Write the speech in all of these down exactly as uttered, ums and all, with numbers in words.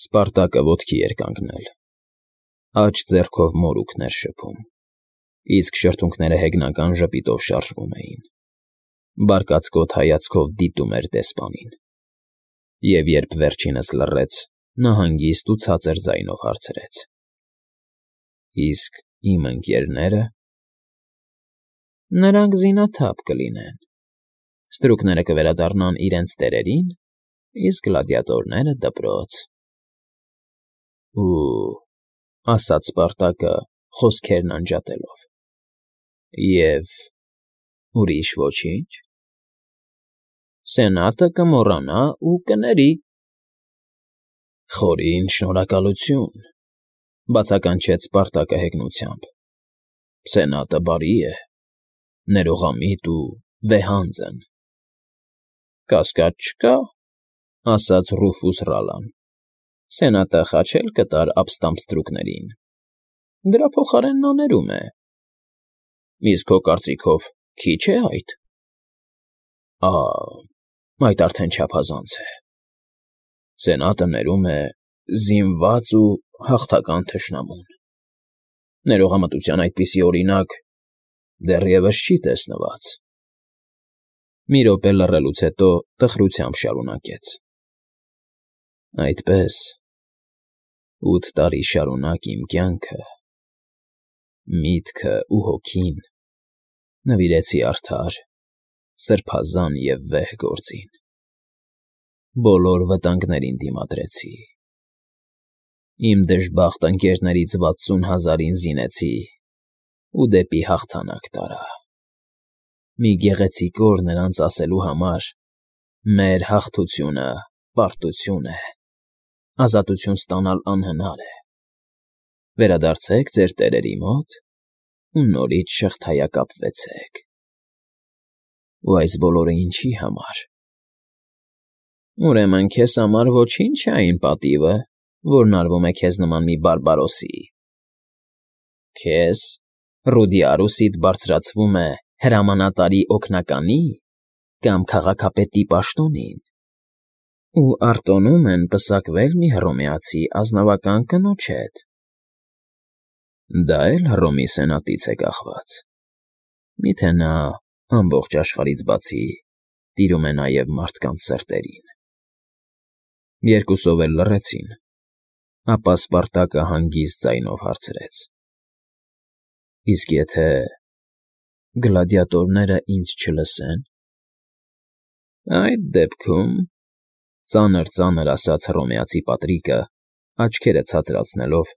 Սպարտակը ոտքի էր կանգնել, աջ ձեռքով մորուքն էր շփում, իսկ շրթունքները հեգնական ժպիտով շարժվում էին, բարկացկոտ հայացքով դիտում էր դեսպանին, և երբ վերջինս լռեց, նա հանգիստ ու ցածր ձայնով հարցրեց. «Իսկ իմ ընկերնե՞րը»։ «Նրանք զինաթափ կլինեն, ստրուկները կվերադառնան իրենց տերերին, իսկ գլադիատորները՝ դպրոց»։ «Ու,֊ ասաց Սպարտակը, խոսքերն անջատելով,֊ և ուրիշ ոչի՞նչ»։ «Սենատը կմոռանա ու կների»։ «Խորին շնորհակալություն,֊ բացականչեց Սպարտակը հեգնությամբ,֊ սենատը բարի է, ներողամիտ ու վեհանձն»։ «Կասկած չկա,֊ ասաց Ռուֆուս Ռալան,֊ սենատը խաչել կտար ապստամբ ստրուկներին, դրա փոխարեն նա ներում է։ Իսկ քո կարծիքով քիչ է այդ»։ «Ա՛, այդ արդեն չափազանց է. սենատը ներում է զինված ու հաղթական թշնամուն։ Ներողամտության այդպիսի օրինակ դեռևս չի տեսնված»։ Մի րոպե լռելուց հետո տխրությամբ շարունակեց. «Այդպես, ութ տարի շարունակ իմ կյանքը, միտքը ու հոգին նվիրեցի արդար, սրբազան և վեհ գործին, բոլոր վտանգներին դիմադրեցի, իմ դժբախտ ընկերներից վաթսուն հազարին զինեցի ու դեպի հաղթանակ տարա, մի գեղեցիկ օր նրանց ասելու համար. «Մեր հաղթությունը պարտություն է, ազատություն ստանալ անհնար է, վերադարձեք ձեր տերերի մոտ ու նորից շղթայակապվեցեք»։ Ու այս բոլորը ինչի՞ համար։ «Ուրեմն քեզ համար ոչինչ չէ այն պատիվը, որն արվում է քեզ նման մի բարբարոսի։ Քեզ, Ռուդիարուսիդ բարձրացվում է հրամանատարի օգնականի՞ կամ քաղաքապետի պաշտոնին, ու արտոնում են պսակվել մի հռոմեացի ազնվական կնոջ հետ։ Դա է՞լ Հռոմի սենատից է կախված։ Մի՞թե նա, ամբողջ աշխարհից բացի, տիրում է նաև մարդկանց սրտերին»։ Երկուսով էլ լռեցին, ապա Սպարտակը հանգիստ ձայնով հարցրեց. «Իսկ եթե գլադիատորները ինձ չլսե՞ն»։ «Այդ դեպքում,֊ ծանր֊ծանր ասաց հռոմեացի պատրիկը, աչքերը ցածրացնելով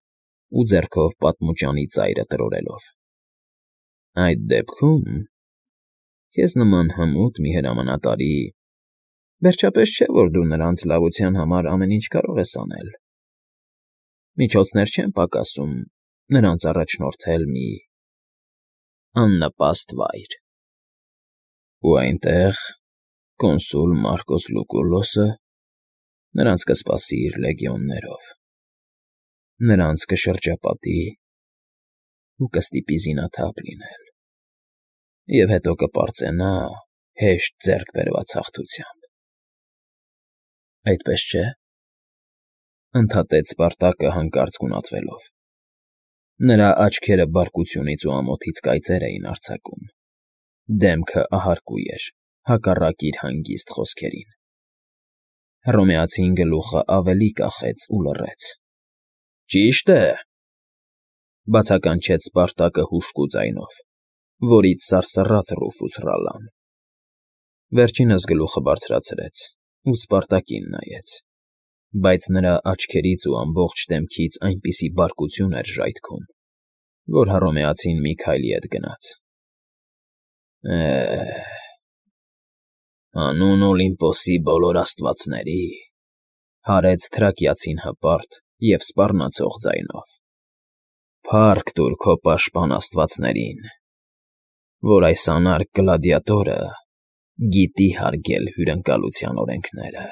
ու ձեռքով պատմուճանի ծայրը տրորելով,֊ այդ դեպքում քեզ նման հմուտ մի հրամանատարի (վերջապես չէ, որ դու նրանց լավության համար ամեն ինչ կարող ես անել) միջոցներ չեն պակասում նրանց առաջնորդել մի աննպաստ վայր։ Ու այնտեղ կոնսուլ Մարկոս Լուկուլոսը նրանց կսպասի իր լեգիոններով, նրանց կշրջապատի ու կստիպի զինաթափ լինել, և հետո կպարծենա հեշտ ձեռք բերված հաղթությամբ։ Այդպես չէ՞։ Ընդհատեց Սպարտակը հանկարծ գունատվելով։ Նրա աչքերը բարկությունից ու ամոթից կայծեր էին արձակում, դեմքը ահարկու էր, հակառակ իր հանգիստ խոսքերին։ Հռոմեացին գլուխը ավելի կախեց ու լռեց։ «Ճիշտ է,֊ բացականչեց Սպարտակը հուժկու ձայնով, որից սարսռաց Ռուֆուս Ռալան։ Վերջինս գլուխը բարձրացրեց ու Սպարտակին նայեց, բայց նրա աչքերից ու ամբողջ դեմքից այնպիսի բարկություն էր ժայթքում, որ հռոմեացին մի քայլ ետ գնաց։ «Է՛հ, հանուն Օլիմպոսի բոլոր աստվածների,֊ հարեց թրակիացին հպարտ և սպառնացող ձայնով,֊ փառք տուր քո պաշտպան աստվածներին, որ այս անարգ գլադիատորը գիտի հարգել հյուրընկալության օրենքները։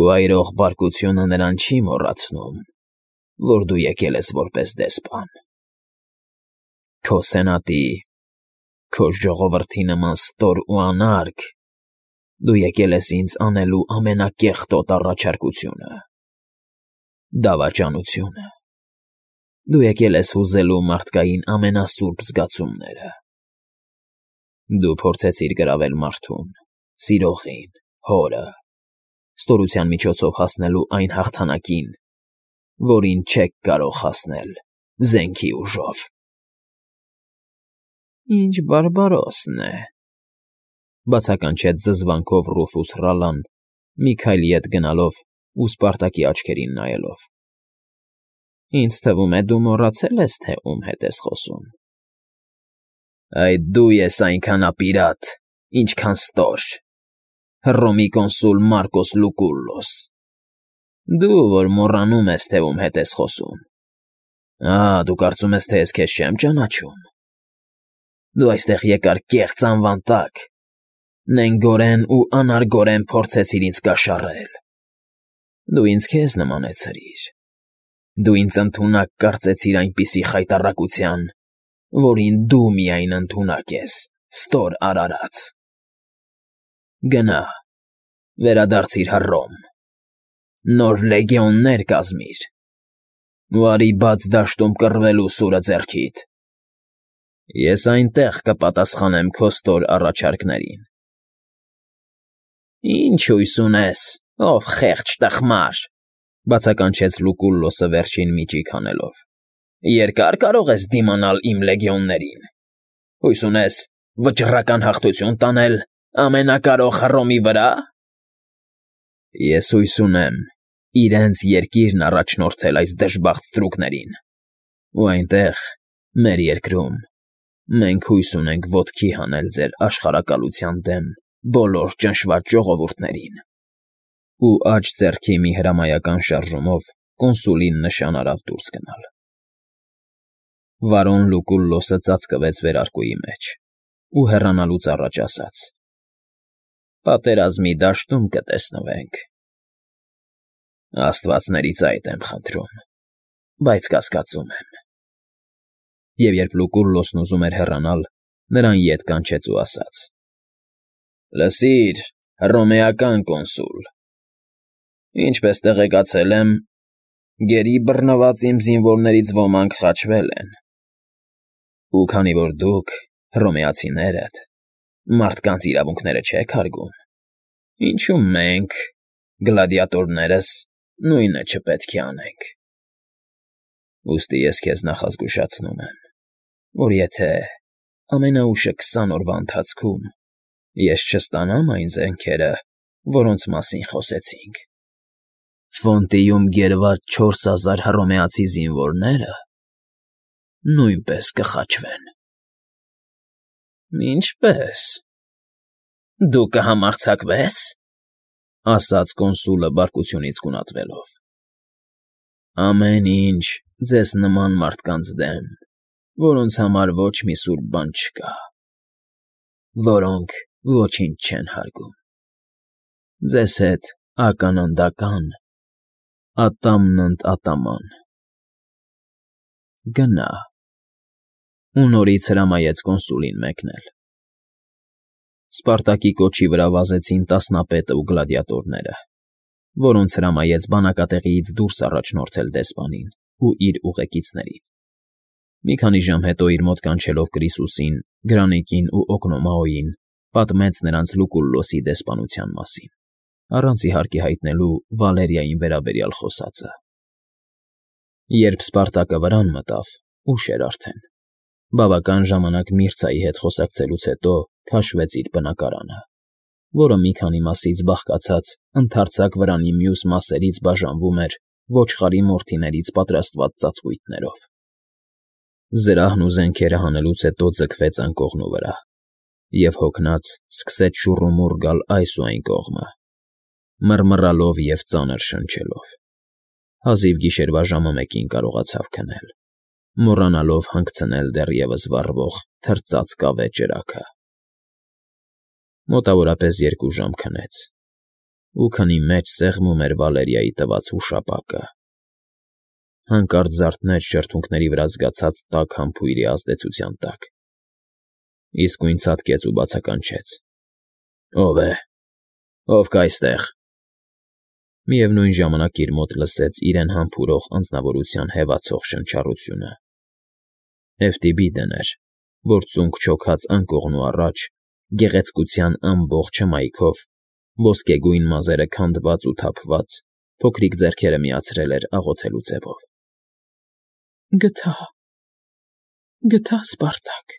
Ու այրող բարկությունը նրան չի մոռացնում, որ դու եկել ես որպես դեսպան։ Քո սենատի, քո ժողովրդի նման ստոր ու անարգ դու եկել ես ինձ անելու ամենակեղտոտ առաջարկությունը։ Դավաճանությունը։ Դու եկել ես հուզելու մարդկային ամենասուրբ զգացումները։ Դու փորձեցիր գրավել մարդուն, սիրողին, հորը, ստորության միջոցով հասնելու այն հաղթանակին, որին չեք կարող հասնել զենքի ուժով։ Ինչ բարբարոսն է,֊ բացականչեց զզվանքով Ռուֆուս Ռալլան, մի քայլ ետ գնալով ու Սպարտակի աչքերին նայելով։ Ինձ թվում է, դու մոռացել ես, թե ում հետ ես խոսում։ Այդ դու ես այնքան ապիրատ, ինչքան ստոր, Հռոմի կոնսուլ Մարկոս Լուկուլլոս, դու, որ մոռանում ես, թե ում հետ ես խոսում։ Ահա, դու կարծում ես, թե ես քեզ չեմ ճանաչում։ Դու այստեղ եկար կեղծ անվան տակ, նենգորեն ու անարգորեն փորձեցիր ինձ կաշառել։ Դու ինձ քեզ նմանեցրիր։ Դու ինձ ընդունակ կարծեցիր այնպիսի խայտառակության, որին դու միայն ընդունակ ես, ստոր արարած։ Գնա, վերադարձիր Հռոմ, նոր լեգիոններ կազմիր, ու արի բաց դաշտում կռվելու սուրը ձեռքիդ։ Ես այնտեղ կպատասխանեմ քո ստոր առաջարկներին։ Ինչ հույս ունես, ով խեղճ տխմար,֊ բացականչեց Լուկուլլոսը վերջին միջիկ հանելով։ Երկա՞ր կարող ես դիմանալ իմ լեգիոններին։ Հույս ունես վճռական հաղթություն տանել ամենակարող Հռոմի վրա։ Ես հույս ունեմ իրենց երկիրն առաջնորդել այս դժբախտ ստրուկներին, ու այնտեղ, մեր երկրում, մենք հույս ունենք ոտքի հանել ձեր աշխարհակալության դեմ բոլոր ճնշված ժողովուրդներին։ Ու աջ ձեռքի մի հրամայական շարժումով կոնսուլին նշան արավ դուրս գնալ։ Վարոն Լուկուլլոսը ծածկվեց վերարկուի մեջ ու հեռանալուց առաջ ասաց. Պատերազմի դաշտում կտեսնվենք։ Աստվածներից այդ եմ խնդրում, բայց կասկածում եմ։ Եվ երբ Լուկուլլոսն ուզում էր հեռանալ, նրան ետ կանչեց ու ասաց. Լսիր, հռոմեական կոնսուլ, ինչպես տեղեկացել եմ, գերի բռնված իմ զինվորներից ոմանք խաչվել են։ Ու քանի որ դուք, հռոմեացիներդ, մարդկանց իրավունքները չեք հարգում, ինչու մենք, գլադիատորներս, նույնը չպետք է անենք։ Ուստի ես քեզ նախազգուշացնում եմ, որ եթե ամենաուշը քսան օրվա ընթացքում ես չստանամ այն զենքերը, որոնց մասին խոսեցինք, Ֆոնտիում գերված չորս հազար հռոմեացի զինվորները նույնպես կխաչվեն։ Ինչպե՞ս։ Դու կհամարձակվե՞ս,֊ ասաց կոնսուլը բարկությունից գունատվելով։ Ամեն ինչ ձեզ նման մարդկանց դեմ, որոնց համար ոչ մի սուրբ բան չկա, որոնք ոչինչ չեն հարգում։ Ձեզ հետ ականանդական, ատամն ընդ ատաման։ Գնա, ու նորից հրամայեց կոնսուլին մեկնել։ Սպարտակի կոչի վրա վազեցին տասնապետը ու գլադիատորները, որոնց հրամայեց բանակատեղիից դուրս առաջնորդել դեսպանին ու իր ուղեկիցներին։ Մի քանի ժամ հետո իր մոտ կանչելով Կրիսուսին, Գրանիկին ու Օկնոմաոյին, պատմեց նրանց Լուկուլլոսի դեսպանության մասին, առանց իհարկե հայտնելու Վալերիային վերաբերյալ խոսածը։ Երբ Սպարտակը վրան մտավ, ուշ էր արդեն։ Բավական ժամանակ Միրցայի հետ խոսակցելուց հետո քաշվեց իր բնակարանը, որը մի քանի մասից բաղկացած ընդարձակ վրանի մյուս մասերից բաժանվում էր ոչխարի մորթիներից պատրաստված ծածկույթներով։ Զրահն ու զենքերը հանելուց հետո ձգվեց անկողնու վրա և հոգնած սկսեց շուռումուռ գալ այս ու այն կողմը, մռմռալով և ծանր շնչելով։ Հազիվ գիշերվա ժամը մեկին կարողացավ քնել, մոռանալով հանգցնել դեռևս վառվող թրծած կավե ճրագը։ Մոտավորապես երկու ժամ քնեց, ու քնի մեջ սեղմում էր Վալերիայի տված հուշապակը։ Հանկարծ զարթնեց շրթունքների վրա զգացած տաք համբույրի ազդեցության տակ, իսկույն ցատկեց ու բացականչեց. Ո՞վ է, ով կա այստեղ։ Միևնույն ժամանակ իր մոտ լսեց իրեն համբուրող անձնավորության հևացող շնչառությունը. Էֆտիբիդն էր, որ ծունկ-չոքած անկողնու առաջ, գեղեցկության ամբողջ հմայքով, ոսկեգույն մազերը քանդված ու թափված, փոքրիկ ձեռքերը միացրել էր աղոթելու ձևով։ ֊ Գտա, գտա, Սպարտակ,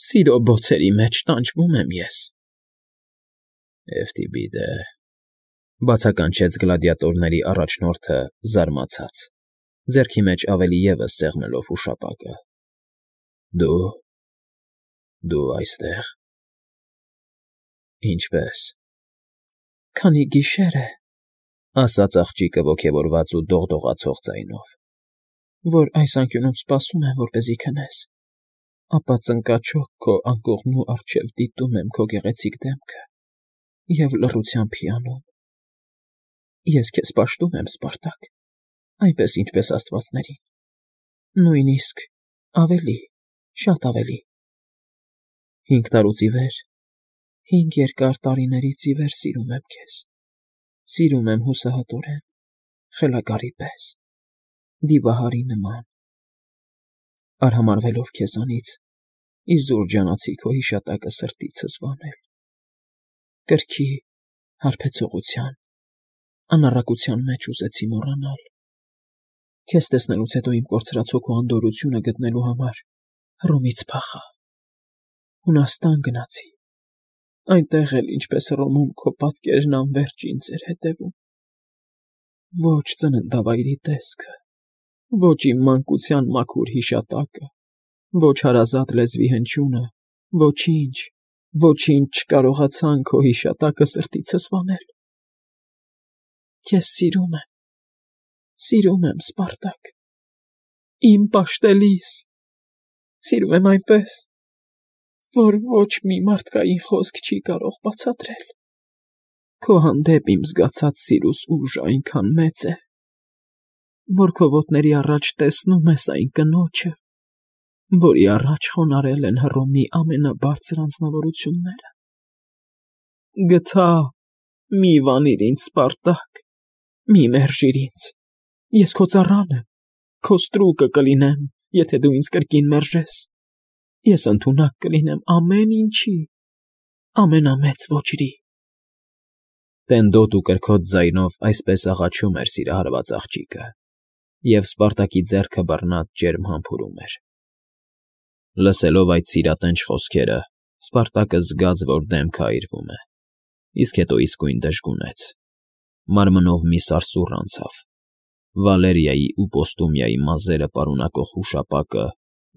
սիրո բոցերի մեջ տանջվում եմ ես։ ֊ Էֆտիբիդե,֊ բացականչեց գլադիատորների առաջնորդը զարմացած, ձեռքի մեջ ավելի ևս սեղմելով ուշապակը։֊ Դու… դու այստեղ… Ինչպե՞ս… Քանի գիշեր է,֊ ասաց աղջիկը ոգևորված ու դողդողացող ձայնով,֊ որ այս անկյունում սպասում եմ, որպեսզի քնես, ապա ծնկաչոք քո անկողնու առջև դիտում եմ քո գեղեցիկ դեմքը և լռությամբ հիանում։ Ես քեզ պաշտում եմ, Սպարտակ, այնպես, ինչպես աստվածներին, նույնիսկ ավելի, շատ ավելի… Հինգ տարուց ի վեր, հինգ երկար տարիներից ի վեր սիրում եմ քեզ, սիրում եմ հուսահատորեն, խելագարի պես, դիվահարի նման… Արհամարհվելով քեզանից, իզուր ջանացի քո հիշատակը սրտիցս վանել, կրքի, հարբեցողության, անառակության մեջ ուզեցի մոռանալ… Քեզ տեսնելուց հետո իմ կորցրած հոգու անդորրությունը գտնելու համար Հռոմից փախա, Հունաստան գնացի, այնտեղ էլ, ինչպես Հռոմում, քո պատկերն անվերջ ինձ էր հետևում… Ոչ ծննդավայրի տեսքը, ոչ իմ մանկության մաքուր հիշատակը, ոչ հարազատ լեզվի հնչյունը, ոչինչ, ոչինչ չկարողացան քո հիշատակը սրտիցս վանել… Քեզ սիրում եմ, սիրում եմ, Սպարտակ, իմ պաշտելիս, սիրում եմ այնպես, որ ոչ մի մարդկային խոսք չի կարող բացատրել… Քո հանդեպ իմ զգացած սիրուս ուժն այնքան մեծ է, որ քո ոտների առաջ տեսնում ես այն կնոջը, որի առաջ խոնարհել են Հռոմի ամենաբարձր անձնավորությունները… Գթա, մի վանիր ինձ, Սպարտակ, մի մերժիր ինձ… Ես քո ծառան եմ, քո ստրուկը կլինեմ, եթե դու ինձ կրկին մերժես… Ես ընդունակ կլինեմ ամեն ինչի, ամենամեծ ոճրի… Տենդոտ ու կրքոտ ձայնով այսպես աղաչում էր սիրահարված աղջիկը, և Սպարտակի ձեռքը բռնած ջերմ համբուրում էր… Լսելով այդ սիրատենչ խոսքերը, Սպարտակը զգաց, որ դեմքը այրվում է, իսկ հետո իսկույն դժգունեց, մարմնով մի սարսուռ անցավ, Վալերիայի ու Պոստումիայի մազերը պարունակող հուշապակը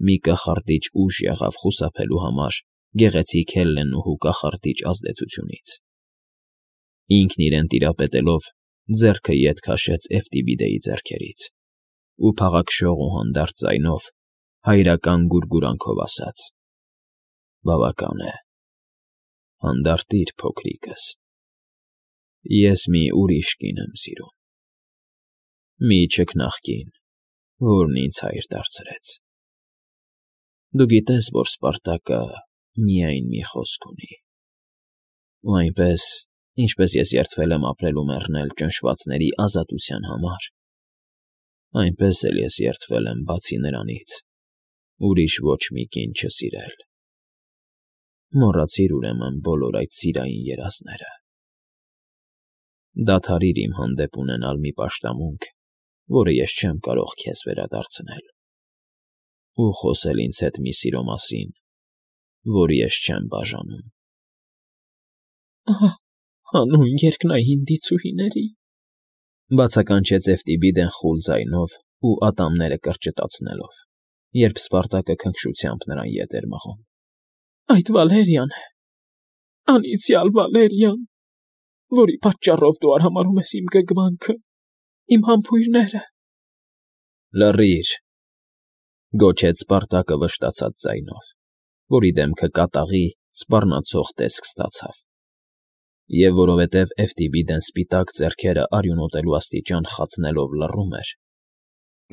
մի կախարդիչ ուժ եղավ խուսափելու համար գեղեցիկ Հելլենուհու կախարդիչ ազդեցությունից… Ինքն իրեն տիրապետելով, ձեռքը ետ քաշեց Էֆտիբիդեի ձեռքերից ու փաղաքշող ու հանդարտ ձայնով, հայրական գուրգուրանքով ասաց. «Բավական է, հանդարտիր, փոքրիկս… Ես մի ուրիշ կին եմ սիրում… Մի չքնաղկին, որն ինձ հայր դարձրեց… Դու գիտես, որ Սպարտակը միայն մի խոսք ունի… Ու այնպես, ինչպես ես երդվել եմ ապրել ու մեռնել ճնշվածների ազատության համար, այնպես էլ ես երդվել եմ, բացի նրանից, ուրիշ ոչ մի կին չսիրել… Մոռացիր, ուրեմն, բոլոր այդ սիրային երազները… Դադարիր իմ հանդեպ ունենալ մի պաշտամունք, որը ես չեմ կարող քեզ վերադարձնել… ու խոսել ինձ հետ մի սիրո մասին, որ ես չեմ բաժանում… Ահա, հանուն երկնային դիցուհիների…֊ բացականչեց Էֆտիբիդեն խուլ ձայնով ու ատամները կրճտացնելով, երբ Սպարտակը քնքշությամբ նրան ետ էր մղում։֊ Այդ Վալերիան է, անիծյալ Վալերիան, որի պատճառով դու արհամարհում ես իմ գրգռվանքը, իմ համբույրները… ֊ Լռիր…֊ գոչեց Սպարտակը վշտացած ձայնով, որի դեմքը կատաղի, սպառնացող տեսք ստացավ, և որովհետև Էֆտիբիդեն սպիտակ ձեռքերը արյունոտելու աստիճան խացնելով լռում էր,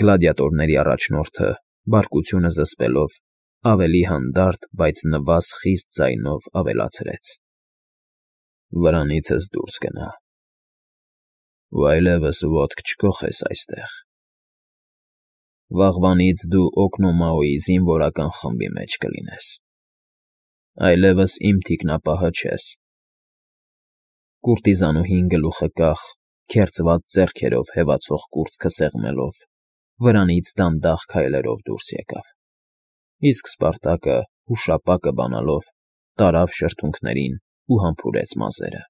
գլադիատորների առաջնորդը, բարկությունը զսպելով, ավելի հանդարտ, բայց նվազ խիստ ձայնով ավելացրեց. «Վրանիցս դուրս գնա… Ու այլևս ոտք չքոխես այստեղ։ Վաղվանից դու Օկնոմաոյի զինվորական խմբի մեջ կլինես, այլևս իմ թիկնապահը չես։ Կուրտիզանուհին գլուխը կախ, քերծված ձեռքերով հևացող կուրծքը սեղմելով, վրանից դանդաղ քայլերով դուրս եկավ, իսկ Սպարտակը, հուշապակը բանալով, տարավ շրթունքներին ու համբուրեց մազերը։